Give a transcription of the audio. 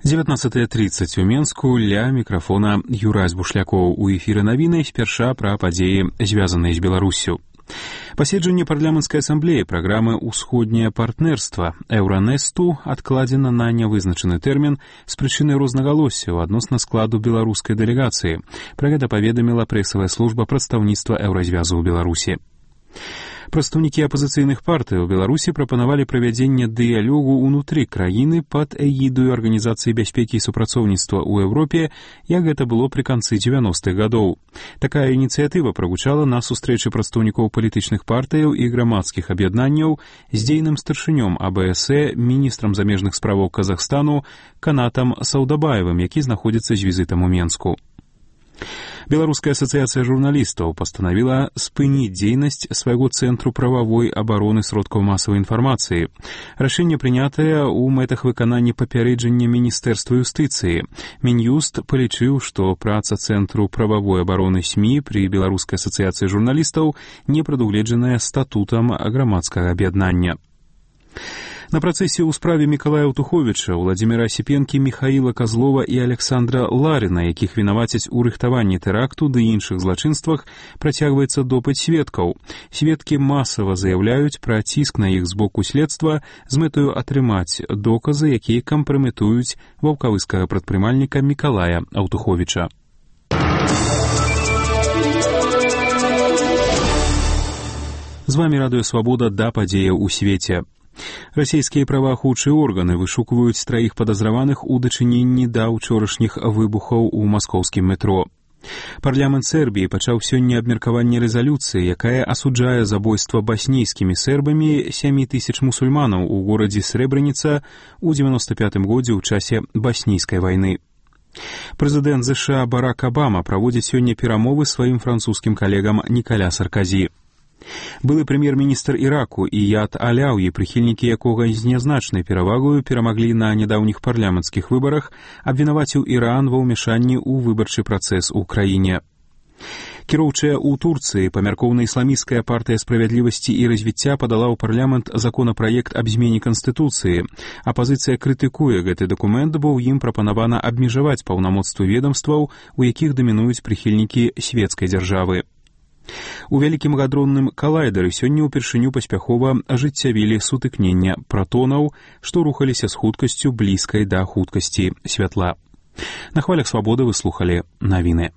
19:30 у Менску, ля мікрафона Юрась Бушлякоў. У эфіры навіны спярша пра падзеі, звязаныя з Беларуссю. Паседжанне парламенцкай асамблеі праграмы «Усходняе партнерства» Еўранесту адкладзена на нявызначаны тэрмін з прычыны рознагалоссяў адносна складу беларускай дэлегацыі. Пра гэта паведаміла прэсавая служба прадстаўніцтва Еўразвязу ў Беларусі. Прадстаўнікі апазіцыйных партый у Беларусі прапанавалі правядзенне дыялогу ўнутры краіны пад эгідаю Арганізацыі бяспекі і супрацоўніцтва ў Еўропе, як гэта было пры канцы 90-х гадоў. Такая ініцыятыва прагучала на сустрэчы прадстаўнікоў палітычных партыяў і грамадскіх аб'яднанняў з дзейным старшынём АБС, міністрам замежных справаў Казахстану Канатам Саўдабаевым, які знаходзіцца з візітам у Менску. Беларуская асацыяцыя журналістаў пастанавіла спыніць дзейнасць свайго цэнтру прававой абароны сродкаў масавай інфармацыі. Рашэнне прынятае ў мэтах выканання папярэджання Міністэрства юстыцыі. Мін'юст палічыў, што праца цэнтру прававой абароны СМІ пры Беларускай асацыяцыі журналістаў не прадугледжаная статутам грамадскага аб'яднання. На працэсе ў справе Мікалая Аўтуховіча, Владзіміра Асіпенкі, Міхаіла Казлова і Александра Ларіна, якіх вінавацяць у рыхтаванні тэракту ды іншых злачынствах, працягваецца допыт сведкаў. Сведкі масава заяўляюць пра ціск на іх з боку следства з мэтаю атрымаць доказы, якія кампраметуюць ваўкавыскага прадпрымальніка Мікалая Аўтуховіча. З вамі Радыё Свабода да падзеяў у свеце. Расійскія праваахоўчыя органы вышукваюць 3 падазраваных у дачыненні да ўчорашніх выбухаў у маскоўскім метро. Парламент Сербіі пачаў сёння абмеркаванне рэзалюцыі, якая асуджае забойства баснійскімі сербамі 7000 мусульманаў у горадзе Срэбраніца ў 95 годзе ў часе баснійскай вайны. Прэзідэнт ЗША Барак Абама праводзіць сёння перамовы сваім французскім калегам Нікаля Сарказі. Былы прэм'ер-міністр Іраку Іяд Аляўі, прыхільнікі якога з нязначнай перавагою перамаглі на нядаўніх парламенцкіх выбарах, абвінаваціў Іран ва ўмяшанні ў выбарчы працэс у краіне. Кіроўчая ў Турцыі памяркоўна-ісламісцкая партыя справядлівасці і развіцця падала ў парламент законапраект аб змене канстытуцыі. Апазіцыя крытыкуе гэты дакумент, бо ў ім прапанавана абмежаваць паўнамоцтвы ведамстваў, у якіх дамінуюць прыхільнікі свецкай дзяржавы. У вялікім гадронным калайдары сёння ўпершыню паспяхова ажыццявілі сутыкнення пратонаў, што рухаліся з хуткасцю блізкай да хуткасці святла. На хвалях свабоды вы слухалі навіны.